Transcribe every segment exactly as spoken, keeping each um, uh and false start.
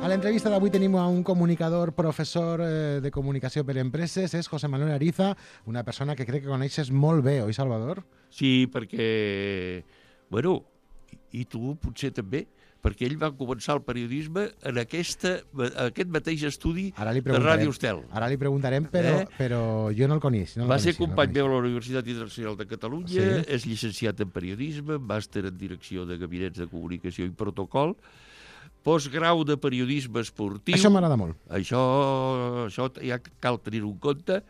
A l'entrevista d'avui tenim a un comunicador, professor eh, de comunicació per empreses, és José Manuel Ariza, una persona que crec que coneixes molt bé, oi, Salvador? Sí, perquè, bueno, i tu potser també, perquè ell va començar el periodisme en aquesta, aquest mateix estudi de Ràdio Estel. Ara li preguntarem, però, eh? però jo no el coneix. No el va coneixia, ser company no meu a la Universitat Internacional de Catalunya, sí? És llicenciat en periodisme, màster en direcció de gabinets de comunicació i protocol, postgrau de periodisme esportiu. Això m'agrada molt. Això, això ja cal tenir-ho en compte.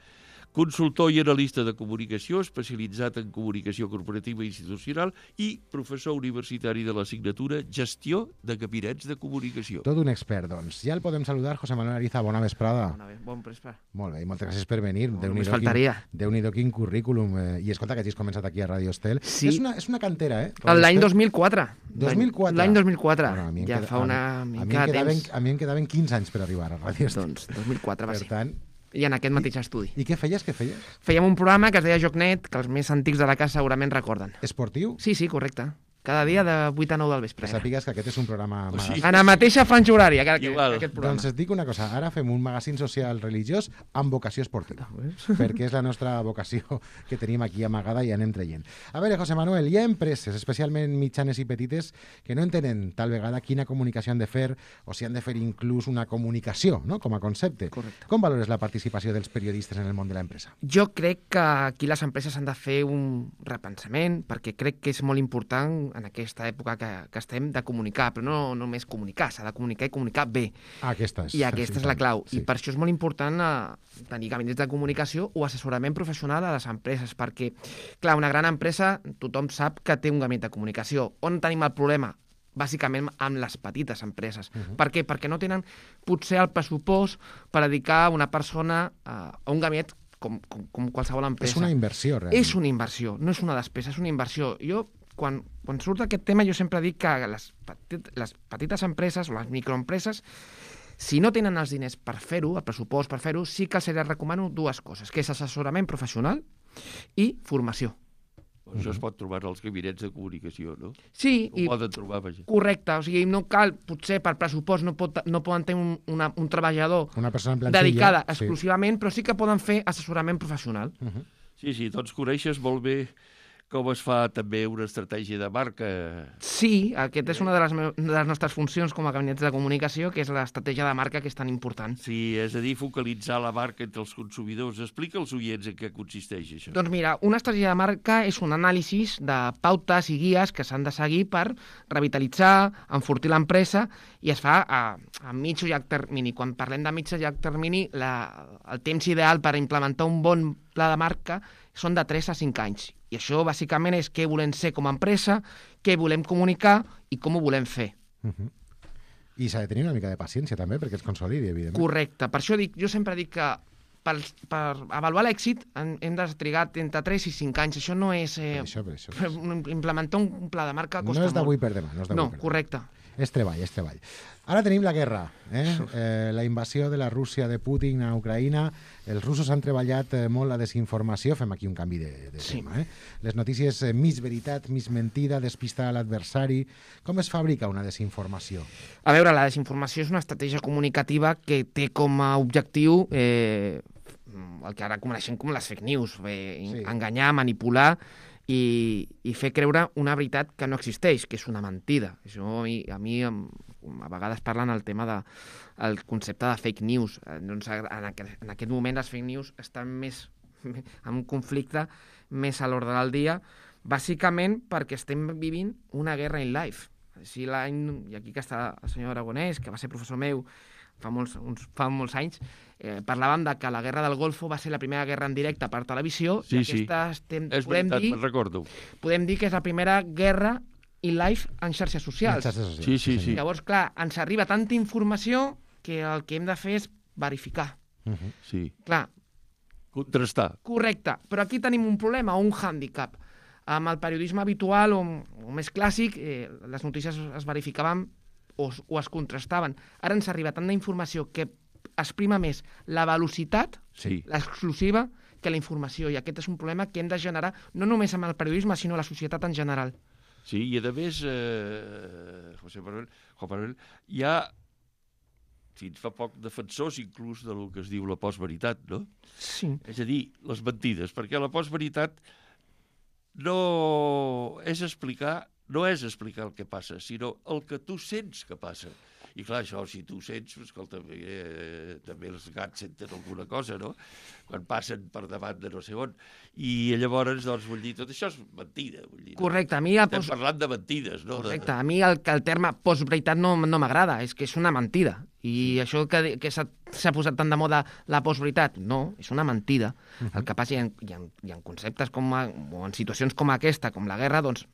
Consultor i analista de comunicació, especialitzat en comunicació corporativa i institucional i professor universitari de l'assignatura Gestió de Gabinets de Comunicació. Tot un expert, doncs. Ja el podem saludar, José Manuel Ariza. Bona vesprada. Bona, bon vesprada. Molt bé, i moltes gràcies per venir. No, només faltaria. Déu-n'hi-do quin currículum. Eh, I escolta, que hagis començat aquí a Ràdio Estel. Sí. És una, és una cantera, eh? L'any dos mil quatre. dos mil quatre? L'any dos mil quatre. Bueno, ja queda, fa una a, mica a de temps. temps. A mi em quedaven quinze anys per arribar a Ràdio Estel. Doncs dos mil quatre va per ser. Tant, I en aquest mateix estudi. I què feies, què feies? Fèiem un programa que es deia JocNet, que els més antics de la casa segurament recorden. Esportiu? Sí, sí, correcte. Cada dia de vuit a nou del vespre. Que sàpigues que aquest és un programa... O sigui, En la mateixa franja horària que, que, Igual. que aquest programa. Doncs et dic una cosa, ara fem un magazín social religiós amb vocació esportiva, perquè és la nostra vocació que tenim aquí amagada i anem traient. A veure, José Manuel, hi ha empreses, especialment mitjanes i petites, que no entenen tal vegada quina comunicació han de fer o si han de fer inclús una comunicació, no?, com a concepte. Correcte. Com valores la participació dels periodistes en el món de l'empresa? Jo crec que aquí les empreses han de fer un repensament, perquè crec que és molt important en aquesta època que, que estem de comunicar, però no només comunicar, s'ha de comunicar i comunicar bé. Ah, aquesta és. I aquesta és la clau. Sí. I per això és molt important eh, tenir gabinets de comunicació o assessorament professional a les empreses, perquè, clar, una gran empresa, tothom sap que té un gabinet de comunicació. On tenim el problema? Bàsicament amb les petites empreses. Uh -huh. Per què? Perquè no tenen potser el pressupost per dedicar una persona eh, a un gabinet com, com, com qualsevol empresa. És una inversió, realment. És una inversió, no és una despesa, és una inversió. Jo, quan, quan surt aquest tema, jo sempre dic que les, petit, les petites empreses o les microempreses, si no tenen els diners per fer-ho, el pressupost per fer-ho, sí que els recomano dues coses, que és assessorament professional i formació. Això es pot trobar als gabinets de comunicació, no? Sí. Ho i poden trobar, vaja. Correcte, o sigui, no cal, potser per pressupost no, pot, no poden tenir un, una, un treballador una persona en plantilla, dedicada sí. exclusivament, però sí que poden fer assessorament professional. Uh -huh. Sí, sí, doncs coneixes molt bé com es fa també una estratègia de marca. Sí, aquesta és una de les, de les nostres funcions com a gabinets de comunicació, que és l'estratègia de marca, que és tan important. Sí, és a dir, focalitzar la marca entre els consumidors. Explica als oients en què consisteix això. Doncs mira, una estratègia de marca és un anàlisi de pautes i guies que s'han de seguir per revitalitzar, enfortir l'empresa, i es fa a, a mig o llarg termini. Quan parlem de mig o llarg termini, la, el temps ideal per implementar un bon pla de marca són de tres a cinc anys. I això, bàsicament, és què volem ser com a empresa, què volem comunicar i com ho volem fer. Uh -huh. I s'ha de tenir una mica de paciència, també, perquè es consolidi, evidentment. Correcte. Per això dic, jo sempre dic que per, per avaluar l'èxit hem de trigar entre tres i cinc anys. Això no és... Eh, per això, per això. Implementar un pla de marca costa molt. No és d'avui molt. per demà. No, és no per demà. correcte. És treball, és treball. Ara tenim la guerra, eh? Eh, la invasió de la Rússia de Putin a Ucraïna. Els russos han treballat eh, molt la desinformació. Fem aquí un canvi de, de sí. tema. Eh? Les notícies, eh, mig veritat, mig mentida, despistar l'adversari. Com es fabrica una desinformació? A veure, la desinformació és una estratègia comunicativa que té com a objectiu eh, el que ara coneixem com les fake news, eh, sí. enganyar, manipular i, i fer creure una veritat que no existeix, que és una mentida. Això a mi, a, mi, a vegades parlen el tema de el concepte de fake news. Doncs en, aquest, en aquest moment les fake news estan més en un conflicte més a l'ordre del dia, bàsicament perquè estem vivint una guerra in life. Si l'any, i aquí que està el senyor Aragonès, que va ser professor meu fa molts, uns, fa molts anys, eh, parlàvem de que la guerra del Golfo va ser la primera guerra en directe per televisió, sí, i aquesta sí. estem, és podem, veritat, dir, me'n recordo. podem dir que és la primera guerra in live en xarxes socials. En xarxes socials. Sí, sí, sí. Llavors, clar, ens arriba tanta informació que el que hem de fer és verificar. Uh -huh. Sí. Clar. Contrastar. Correcte, però aquí tenim un problema o un hàndicap. Amb el periodisme habitual o, o més clàssic, eh, les notícies es verificaven o, o es contrastaven. Ara ens arriba tanta informació que exprima més la velocitat, sí. l'exclusiva, que la informació. I aquest és un problema que hem de generar no només amb el periodisme, sinó la societat en general. Sí, i a més, eh, José Manuel, Juan Manuel, hi ha fins fa poc defensors inclús del que es diu la postveritat, no? Sí. És a dir, les mentides, perquè la postveritat no és explicar, no és explicar el que passa, sinó el que tu sents que passa. I clar, això, si tu sents, escolta, eh, també els gats senten alguna cosa, no? Quan passen per davant de no sé on. I llavors, doncs, vull dir, tot això és mentida. Vull dir, Correcte, a mi... El Estem post... parlant de mentides, no? Correcte, a mi el, el terme postveritat no, no m'agrada, és que és una mentida. I això que, que s'ha posat tan de moda la postveritat, no, és una mentida. Uh-huh. El que passa, hi ha, hi ha, hi ha conceptes com a, o en situacions com aquesta, com la guerra, doncs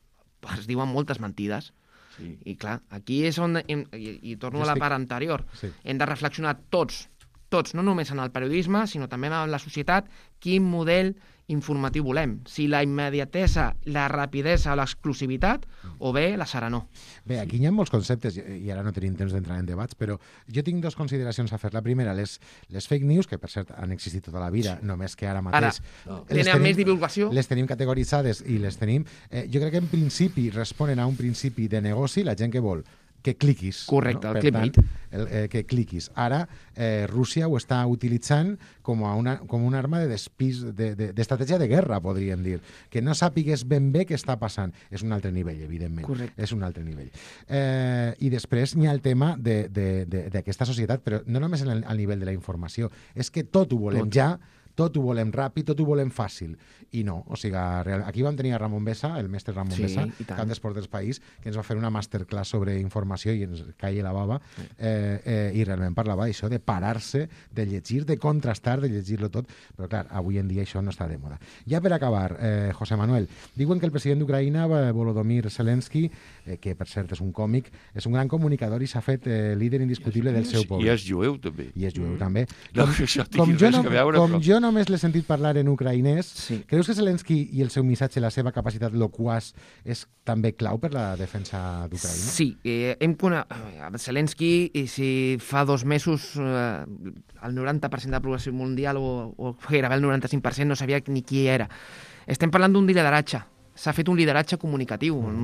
es diuen moltes mentides. Sí. I clar, aquí és on, hem, i, i torno a la part anterior, sí. Hem de reflexionar tots, tots, no només en el periodisme, sinó també en la societat, quin model informatiu volem. Si la immediatesa, la rapidesa o l'exclusivitat, o bé la serenor. Bé, aquí hi ha molts conceptes, i ara no tenim temps d'entrar en debats, però jo tinc dues consideracions a fer. La primera, les, les fake news, que per cert han existit tota la vida, sí. Només que ara mateix... Ara, no. Tenen més divulgació. Les tenim categoritzades i les tenim... Eh, jo crec que en principi responen a un principi de negoci, la gent que vol que cliquis. Correcte, no? el clickbait. El, eh, que cliquis. Ara, eh, Rússia ho està utilitzant com, a una, com una arma de despís, d'estratègia de, de, de guerra, podríem dir. Que no sàpigues ben bé què està passant. És un altre nivell, evidentment. Correcte. És un altre nivell. Eh, I després n'hi ha el tema d'aquesta societat, però no només en el, al nivell de la informació. És que tot ho volem tot. ja, tot ho volem ràpid, tot ho volem fàcil. I no, o sigui, aquí vam tenir a Ramon Bessa, el mestre Ramon sí, Bessa, cap d'Esports del País, que ens va fer una masterclass sobre informació i ens caia la bava, sí. eh, eh, i realment parlava d'això, de parar-se, de llegir, de contrastar, de llegir-lo tot, però clar, avui en dia això no està de moda. Ja per acabar, eh, José Manuel, diuen que el president d'Ucraïna, Volodymyr Zelensky, eh, que per cert és un còmic, és un gran comunicador i s'ha fet eh, líder indiscutible del seu poble. I és jueu, també. I és jueu, mm. també. No, com, això com jo no, que veure, com però... jo només l'he sentit parlar en ucraïnès, sí. Creus que Zelensky i el seu missatge, la seva capacitat loquaç, és també clau per la defensa d'Ucraïna? Sí, eh, hem conegut Zelensky, i si fa dos mesos eh, el noranta per cent de la població mundial o, o gairebé el noranta-cinc per cent no sabia ni qui era. Estem parlant d'un lideratge. S'ha fet un lideratge comunicatiu, mm.